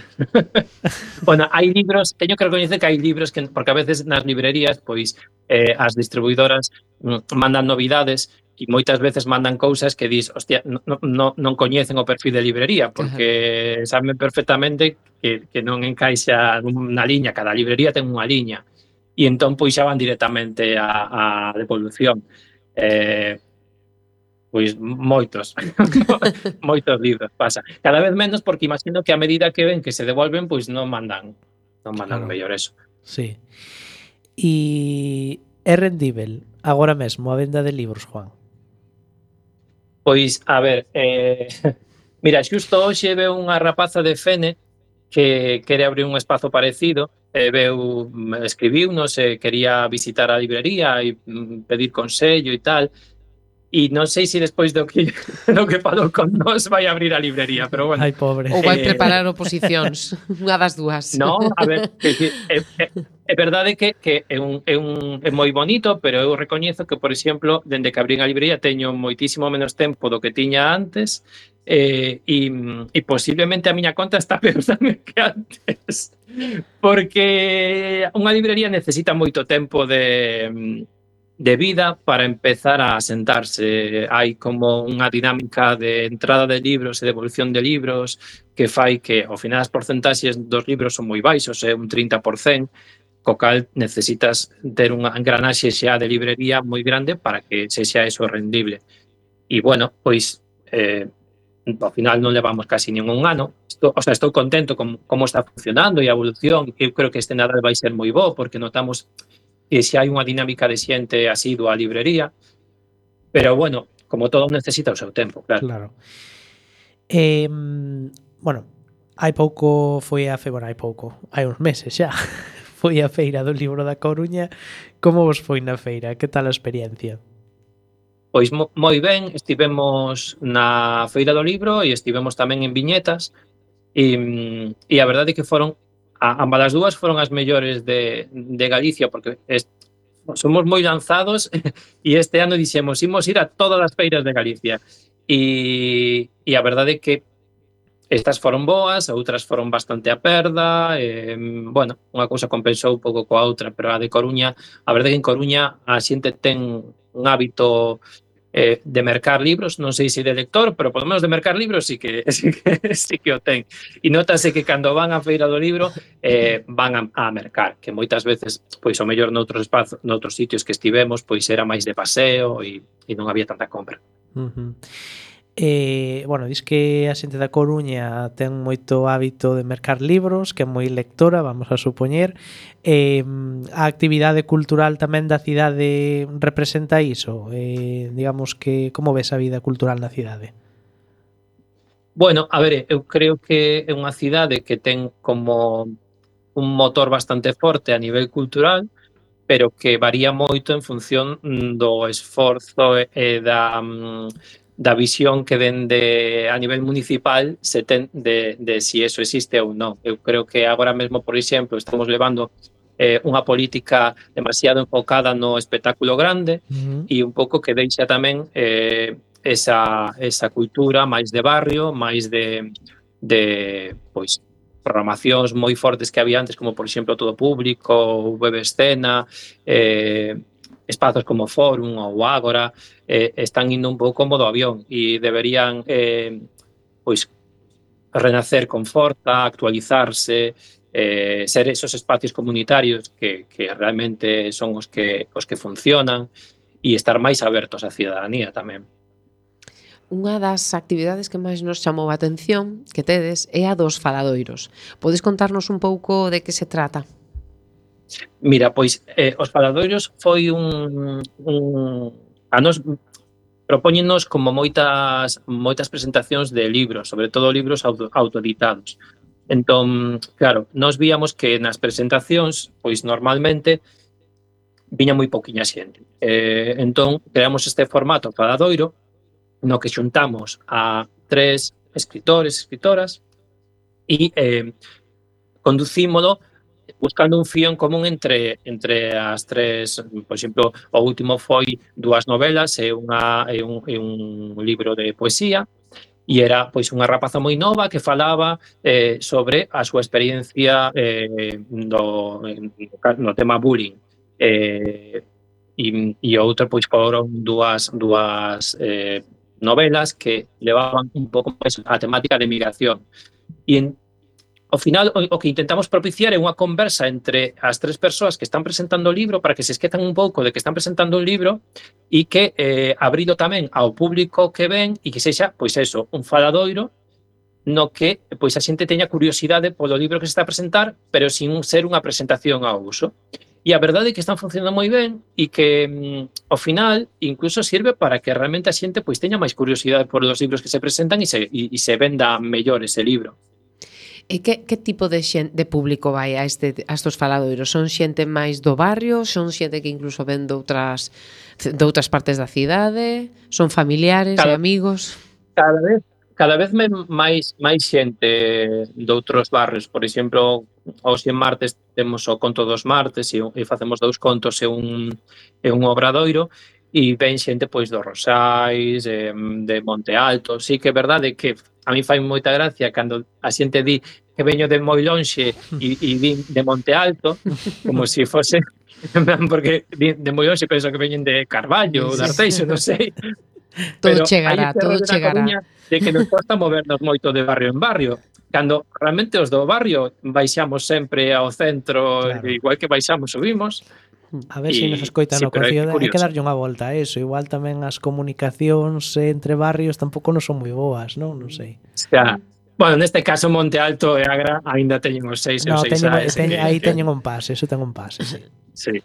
bueno, hai libros, teño que recoñecer que hai libros que, porque a veces nas librerías, pois, as distribuidoras mandan novidades e moitas veces mandan cousas que dis, hostia, non coñecen o perfil de librería, porque saben perfectamente que non encaixa na liña, cada librería ten unha liña, e entón, pois, xa van directamente a devolución. Pois moitos libros pasa. Cada vez menos porque imagino que a medida que ven que se devolven, pois non mandan mellor eso. Sí. E é rendível agora mesmo a venda de libros, Juan? Pois, a ver, mira, xusto hoxe veu unha rapaza de Fene que quere abrir un espazo parecido, escribiunos, quería visitar a librería e pedir consello e tal. E non sei se despois do que falou con nós vai abrir a librería, pero bueno. Ai, pobre. Ou vai preparar oposicións, unha das dúas. No, a ver, é verdade que é moi bonito, pero eu recoñezo que, por exemplo, dende que abrín a librería teño moitísimo menos tempo do que tiña antes e posiblemente a miña conta está peor tamén que antes, porque unha librería necesita moito tempo de vida para empezar a sentarse. Hai como unha dinámica de entrada de libros e devolución de libros que fai que, ao final, as porcentaxes dos libros son moi baixos, un 30%, co cal necesitas ter unha engranaxe xa de librería moi grande para que sexa eso rendible. E, bueno, pois, ao final non levamos casi ningún ano. Estou contento con como está funcionando e a evolución. Eu creo que este Nadal vai ser moi bo, porque notamos que se hai unha dinámica de xente asidua a librería, pero, bueno, como todo necesita o seu tempo, claro. Bueno, hai uns meses xa, foi a Feira do Libro da Coruña. Como vos foi na feira? Que tal a experiencia? Pois moi ben, estivemos na Feira do Libro e estivemos tamén en Viñetas e a verdade é que foron ambas as dúas foron as mellores de Galicia, porque somos moi lanzados e este ano dixemos, imos ir a todas as feiras de Galicia e a verdade é que estas foron boas, outras foron bastante a perda, bueno, unha cousa compensou un pouco coa outra, pero a de Coruña, a verdade é que en Coruña a xente ten un hábito de mercar libros, non sei se de lector, pero polo menos de mercar libros sí que o ten. E notase que cando van á feira do libro van a mercar, que moitas veces, pois o mellor noutros espazos, noutros sitios que estivemos, pois era máis de paseo e non había tanta compra. Bueno, dis que a xente da Coruña ten moito hábito de mercar libros, que é moi lectora, vamos a supoñer. A actividade cultural tamén da cidade representa iso? Digamos que como ves a vida cultural na cidade? Bueno, a ver, eu creo que é unha cidade que ten como un motor bastante forte a nivel cultural, pero que varía moito en función do esforzo e da visión que dende a nivel municipal se ten de si eso existe ou non. Eu creo que agora mesmo, por exemplo, estamos levando unha política demasiado enfocada no espectáculo grande e un pouco que deixa tamén esa cultura máis de barrio, máis de pois programacións moi fortes que había antes, como por exemplo Todo Público, Web Escena, espazos como Fórum ou Ágora, están indo un pouco como do avión e deberían pois renacer con forza, actualizarse, ser esos espacios comunitarios que realmente son os que funcionan e estar máis abertos á cidadanía tamén. Unha das actividades que máis nos chamou a atención que tedes é a dos faladoiros. Podes contarnos un pouco de que se trata? Mira, pois os faladoiros foi a nos propóñenos como moitas presentacións de libros, sobre todo libros autoeditados. Entón, claro, nós víamos que nas presentacións, pois normalmente viña moi pouquiña xente. Entón, creamos este formato faladoiro no que xuntamos a 3 escritores, escritoras e conducímolo buscando un fío en común entre as 3, por exemplo, o último foi 2 novelas e un libro de poesía, e era pois unha rapaza moi nova que falaba sobre a súa experiencia no tema bullying. E outra pois foron dúas novelas que levaban un pouco máis a temática de migración. E ao final o que intentamos propiciar é unha conversa entre as 3 persoas que están presentando o libro para que se esquezan un pouco de que están presentando un libro e que abrido tamén ao público que ven e que sexa, pois eso, un faladoiro no que pois a xente teña curiosidade polo libro que se está a presentar, pero sin ser unha presentación ao uso. E a verdade é que están funcionando moi ben e que ao final incluso sirve para que realmente a xente pois teña máis curiosidade por os libros que se presentan e se venda mellor ese libro. E que tipo de público vai a estos faladoiros? Son xente máis do barrio? Son xente que incluso ven de outras partes da cidade? Son familiares e amigos? Cada vez máis xente de outros barrios. Por exemplo, hoxe en martes temos o Conto dos Martes e facemos 2 contos e un obradoiro e ven xente pois do Rosais, de Monte Alto. Sí que é verdade que a mí fai moita gracia cando a xente di que veño de moi lonxe e vin de Monte Alto, como se fose, porque de moi lonxe penso que veñen de Carballo ou de Arteixo, non sei. Todo chegará. De que nos costa movernos moito de barrio en barrio. Cando realmente os do barrio baixamos sempre ao centro, claro. Igual que baixamos, subimos. A ver se nos escoitan no Concello, hai que darlle unha volta a eso. Igual tamén as comunicacións entre barrios tampouco non son moi boas, non? Non sei. Xa. Bueno, neste caso Monte Alto e Agra aínda teñen os 6 ou 6 aí teñen un pase, eso ten un pase, sí. Sí.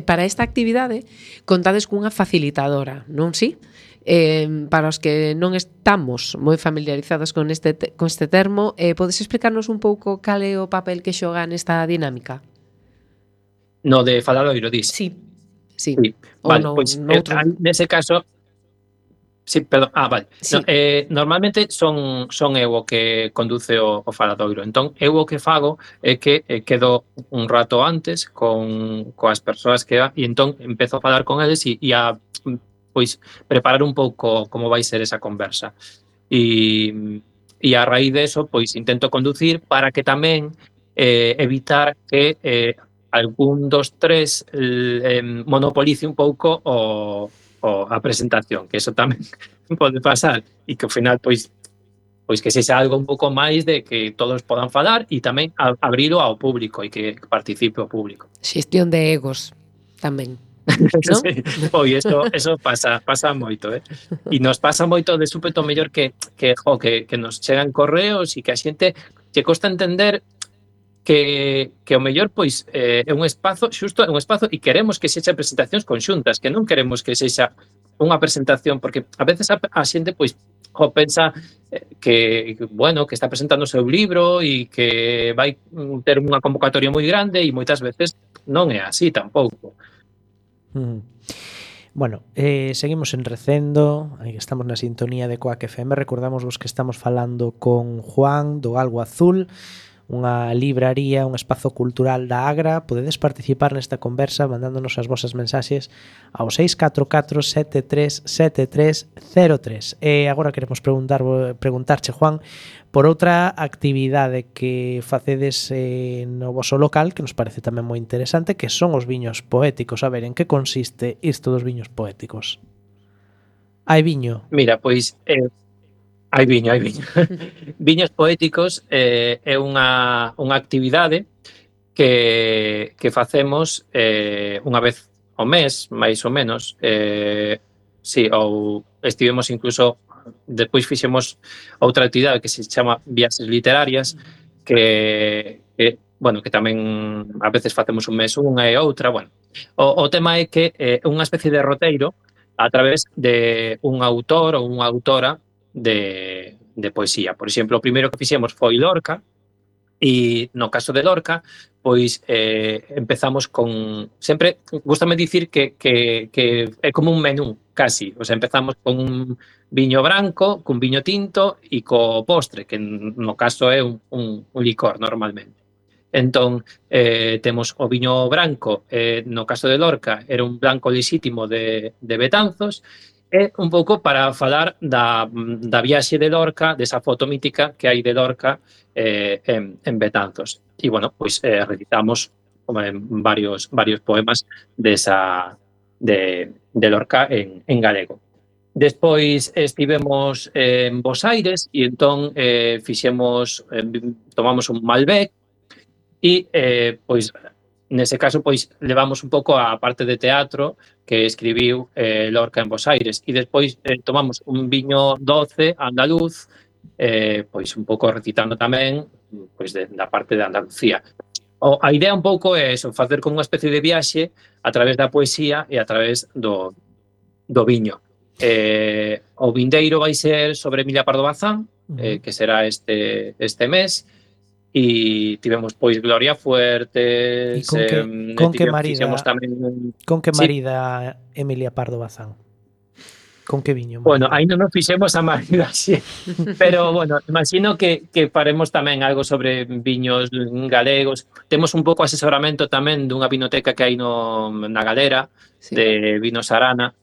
Para esta actividade contades cunha facilitadora, non si? Para os que non estamos moi familiarizados con este termo, podes explicarnos un pouco cal é o papel que xoga nesta dinámica? No de faladoiro, dis? Sí. Vale, pois nese caso sí, perdón, vale. Sí. No, normalmente son eu o que conduce o faladoiro. Entón, eu o que fago é que quedo un rato antes coas persoas que e entón empezo a falar con eles e a pois preparar un pouco como vai ser esa conversa. E a raíz de eso, pois intento conducir para que tamén evitar que algún dos 3 monopolice un pouco a presentación, que eso tamén pode pasar e que ao final pois que sexa algo un pouco máis de que todos podan falar e tamén abrilo ao público e que participe o público. Xestión de egos tamén. ¿No? ¿No? Sí. Oi, eso pasa moito, E nos pasa moito de súpeto mellor que nos chegan correos e que a xente che costa entender que o mellor pois é un espazo, xusto é un espazo e queremos que sexa presentacións conxuntas, que non queremos que sexa unha presentación, porque a veces a xente pois pensa que está presentando o seu libro e que vai ter unha convocatoria moi grande e moitas veces non é así tampouco. Bueno, seguimos en Recendo, estamos na sintonía de Coac FM. Recordamos vos que estamos falando con Juan do Galgo Azul, unha libraría, un espazo cultural da Agra. Podedes participar nesta conversa mandándonos as vosas mensaxes ao 644 73 7303. E agora queremos preguntarche, Juan, por outra actividade que facedes no voso local, que nos parece tamén moi interesante, que son os viños poéticos. A ver, en que consiste isto dos viños poéticos? Hai viño? Mira, pois hai viño. Viños poéticos é unha actividade que facemos unha vez ao mes, máis ou menos. Ou estivemos incluso, despois fixemos outra actividade que se chama Viaxes Literarias, que tamén a veces facemos un mes unha e outra. O tema é que é unha especie de roteiro a través de un autor ou unha autora de poesía. Por exemplo, o primeiro que fixemos foi Lorca, e no caso de Lorca, pois empezamos con... Sempre, gústame dicir que é como un menú, casi. O sea, empezamos con un viño branco, cun viño tinto e co postre, que no caso é un licor normalmente. Entón, temos o viño branco, no caso de Lorca, era un blanco lexítimo de Betanzos. É un pouco para falar da viaxe de Lorca, desa foto mítica que hai de Lorca en Betanzos. E, pois recitamos varios poemas de Lorca en galego. Despois estivemos en Bos Aires e entón tomamos un Malbec e, pois, nese caso, pois, levamos un pouco a parte de teatro que escribiu Lorca en Bos Aires e despois tomamos un viño doce andaluz, pois un pouco recitando tamén pois da parte de Andalucía. A idea un pouco é eso, facer como unha especie de viaxe a través da poesía e a través do viño. O vindeiro vai ser sobre Emilia Pardo Bazán, que será este mes. E tivemos pois Gloria Fuertes. Con que marida Emilia Pardo Bazán? Con que viño? Aí non nos fixemos a marida así. Pero, imagino que faremos tamén algo sobre viños galegos. Temos un pouco asesoramento tamén dunha vinoteca que hai na Galera, de Vinos Arana,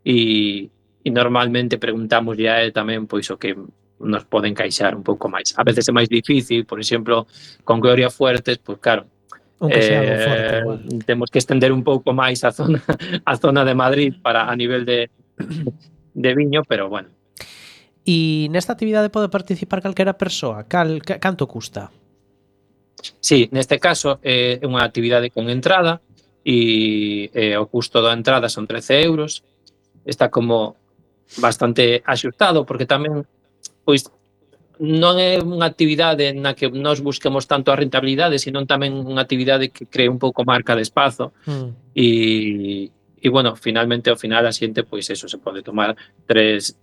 e normalmente preguntamos a él tamén pois o que nos pode encaixar un pouco máis. A veces é máis difícil, por exemplo, con Gloria Fuertes, pois claro, temos que estender un pouco máis a zona de Madrid para a nivel de viño, pero bueno. E nesta actividade pode participar calquera persoa? Canto custa? Sí, neste caso é unha actividade con entrada e o custo da entrada son 13 euros. Está como bastante axustado porque tamén pois non é unha actividade na que nós busquemos tanto a rentabilidade, sino tamén unha actividade que cree un pouco marca de espazo. E finalmente ao final a xente pois eso se pode tomar 2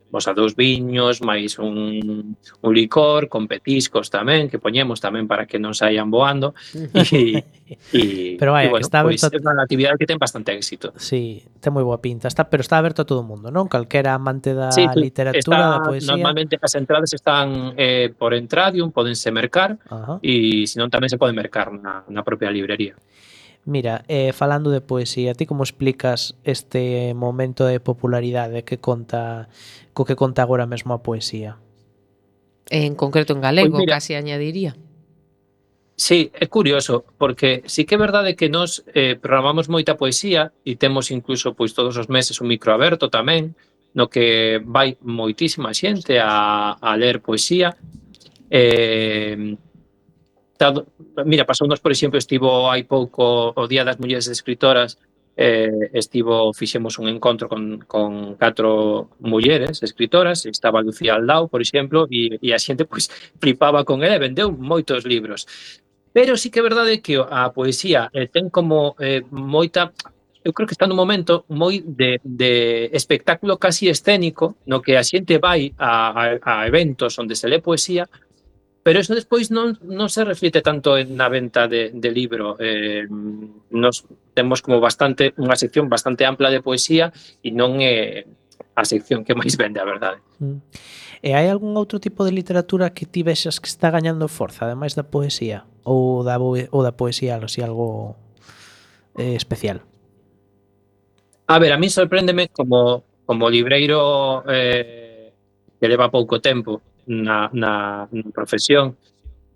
viños máis un licor con petiscos tamén que poñemos tamén para que non saian voando. Pero está pois é unha actividade que ten bastante éxito. Sí, ten moi boa pinta, pero está aberto a todo o mundo, non? Calquera amante da literatura, da poesía. Normalmente as entradas están por Entradium, podense mercar, e senón tamén se pode mercar na propia librería. Mira, falando de poesía, ti como explicas este momento de popularidade que conta agora mesmo a poesía? En concreto en galego, casi añadiría. Sí, é curioso, porque sí que é verdade que nós programamos moita poesía e temos incluso pois todos os meses un micro aberto tamén, no que vai moitísima xente a ler poesía. Eh, Mira, pasounos, por exemplo, estivo hai pouco o Día das Mulleres Escritoras, fixemos un encontro con 4 mulleres escritoras, estaba Lucía Aldao, por exemplo, e a xente pois flipaba con ela e vendeu moitos libros. Pero sí que é verdade que a poesía ten como moita... Eu creo que está nun momento moi de espectáculo casi escénico, no que a xente vai a eventos onde se lee poesía, pero eso despois non se reflite tanto na venta de libro. Nos temos como unha sección bastante ampla de poesía e non é a sección que máis vende, a verdade. E hai algún outro tipo de literatura que ti vexas que está gañando forza, ademais da poesía? Ou da poesía, así algo especial? A ver, a mí sorpréndeme como libreiro que leva pouco tempo na profesión.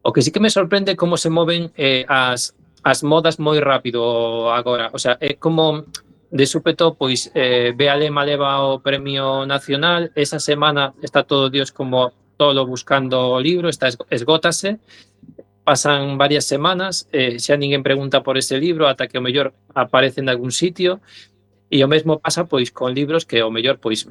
O que sí que me sorprende como se moven as modas moi rápido agora. O sea, é como de súpeto, pois Bea Lema leva o Premio Nacional, esa semana está todo Dios como tolo buscando o libro, esgótase, pasan varias semanas, xa ninguén pregunta por ese libro ata que o mellor aparece en algún sitio. E o mesmo pasa pois con libros que o mellor pois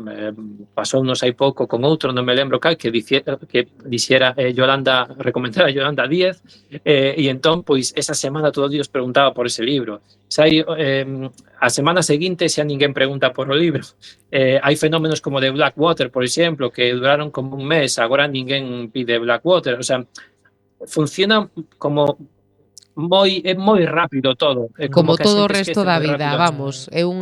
pasounos hai pouco con outro, non me lembro cal, que dixera Yolanda, recomendara Yolanda Díez, e entón pois esa semana todo Dios preguntaba por ese libro. A semana seguinte xa ninguén pregunta por o libro. Hai fenómenos como de Blackwater, por exemplo, que duraron como un mes, agora ninguén pide Blackwater. O sea, funciona como é moi rápido todo. Como todo o resto da vida, vamos, é un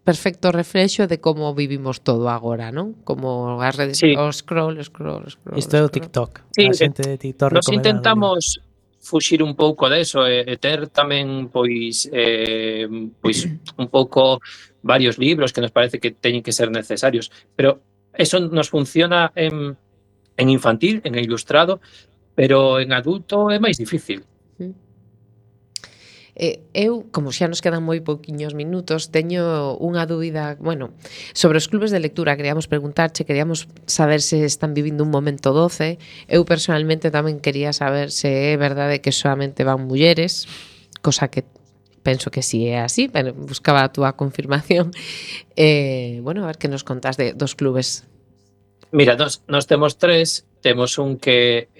perfecto reflexo de como vivimos todo agora, non? Como as redes, sí. O scroll. Isto é o TikTok. Sí, a xente de TikTok nos intentamos fuxir un pouco deso e ter tamén pois un pouco varios libros que nos parece que teñen que ser necesarios, pero eso nos funciona en infantil, en ilustrado, pero en adulto é máis difícil. Eu, como xa nos quedan moi pouquiños minutos, teño unha dúbida, bueno, sobre os clubes de lectura. Queríamos preguntarche, queríamos saber se están vivindo un momento doce. Eu personalmente tamén quería saber se é verdade que solamente van mulleres, cosa que penso que si é así, pero buscaba a túa confirmación. Bueno, a ver que nos contás dos clubes. Mira, nos temos 3, temos un que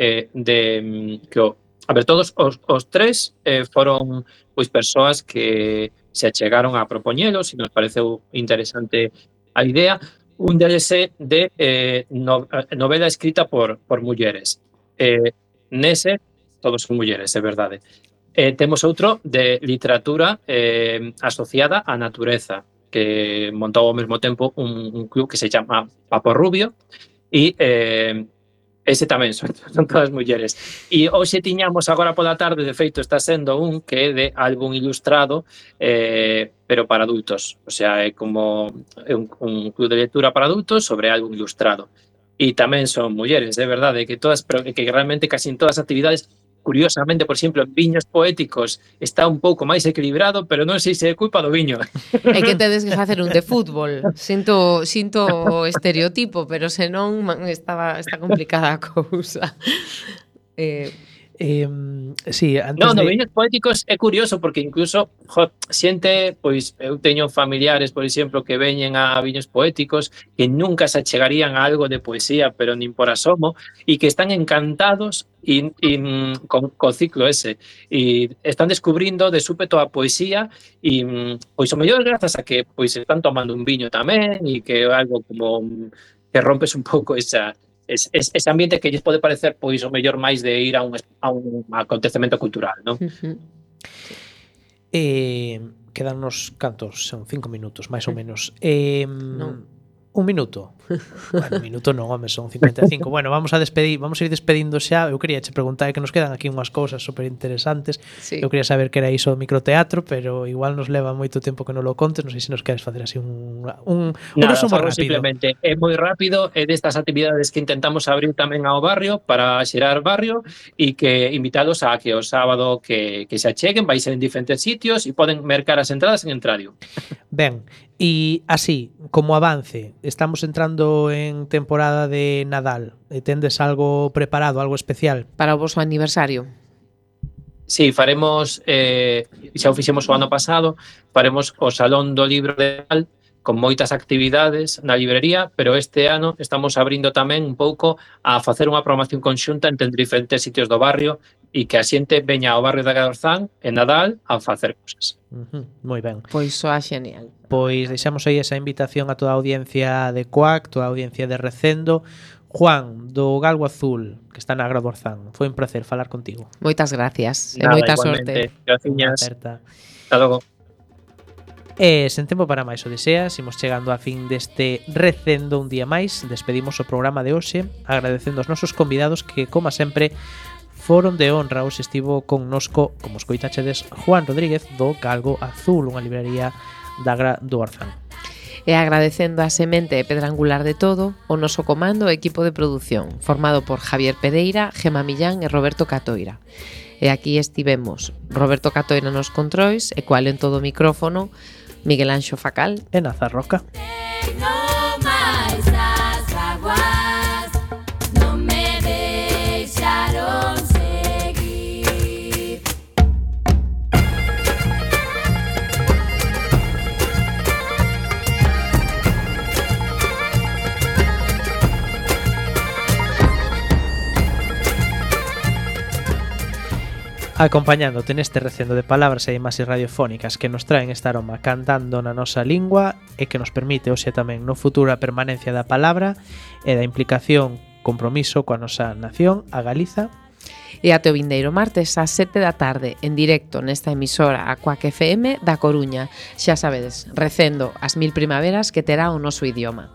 a ver, todos os 3 foron pois persoas que se achegaron a propoñelos e nos pareceu interesante a idea. Un deles é de novela escrita por mulleres. Nese, todos son mulleres, é verdade. Temos outro de literatura asociada á natureza, que montou ao mesmo tempo un club que se chama Papo Rubio e ese tamén son todas mulleres. E hoxe tiñamos agora pola tarde, de feito está sendo un que é de álbum ilustrado, pero para adultos. O sea, é como un club de lectura para adultos sobre álbum ilustrado. E tamén son mulleres, é verdade, que realmente casi en todas as actividades, curiosamente, por exemplo, en viños poéticos está un pouco máis equilibrado, pero non sei se é culpa do viño. É que tedes que facer un de fútbol. Sinto o estereotipo, pero senón está complicada a cousa. Sí, antes no viños poéticos é curioso porque incluso xente, pois eu teño familiares, por exemplo, que veñen a viños poéticos que nunca se achegarían a algo de poesía, pero nin por asomo, e que están encantados co ciclo ese, e están descubrindo de súpeto a poesía e pois o mellor grazas a que pois están tomando un viño tamén e que algo como que rompes un pouco ese ambiente que lles pode parecer pois o mellor máis de ir a un acontecemento cultural, non? Quedan uns cantos, son 5 minutos, máis ou menos. Un minuto. Bueno, un minuto non, home, son 55. Bueno, vamos a ir despedindo xa. Eu quería che preguntar que nos quedan aquí unhas cousas super interesantes. Sí. Eu quería saber que era iso do microteatro, pero igual nos leva moito tempo que non lo contes. Non sei se nos queres facer así un Nada, resumo fago rápido. simplemente, é moi rápido, é destas actividades que intentamos abrir tamén ao barrio para xerar barrio e que invitalos a que o sábado que se acheguen, vai ser en diferentes sitios e poden mercar as entradas en Entradio. Ben, e así, como avance, estamos entrando en temporada de Nadal. Tendes algo preparado, algo especial? Para o voso aniversario. Sí, faremos, xa o fixemos o ano pasado, faremos o Salón do Libro de Nadal con moitas actividades na librería, pero este ano estamos abrindo tamén un pouco a facer unha programación conxunta entre diferentes sitios do barrio e que a xente veña ao barrio de Agadorzán en Nadal a facer cosas. Moi ben. Pois soa genial. Pois deixamos aí esa invitación a toda a audiencia de Coac, toda a audiencia de Recendo. Juan, do Galgo Azul, que está na Agadorzán. Foi un placer falar contigo. Moitas gracias e Nada, moita igualmente. sorte. Graciñas. Aperta. Hasta logo. E sen tempo para máis odiseas, imos chegando a fin deste Recendo un día máis. Despedimos o programa de hoxe agradecendo aos nosos convidados que, como sempre, foron de honra. Hoxe estivo connosco, como escoitachedes, Juan Rodríguez do Galgo Azul, unha librería da Agra do Orzán. E agradecendo a semente e pedra angular de todo o noso comando e equipo de produción, formado por Javier Pereira, Gema Millán e Roberto Catoira. E aquí estivemos Roberto Catoira nos controis e cual en todo o micrófono Miguel Anxo Facal E Nazarroca. No máis as aguas non me deixaron seguir. Acompañándote neste recendo de palabras e imaxes radiofónicas que nos traen este aroma cantando na nosa lingua e que nos permite hoxe tamén no futuro a permanencia da palabra e da implicación, compromiso coa nosa nación, a Galiza. E ate o vindeiro martes ás 7 da tarde en directo nesta emisora a Coac FM da Coruña. Xa sabedes, recendo as 1000 primaveras que terá o noso idioma.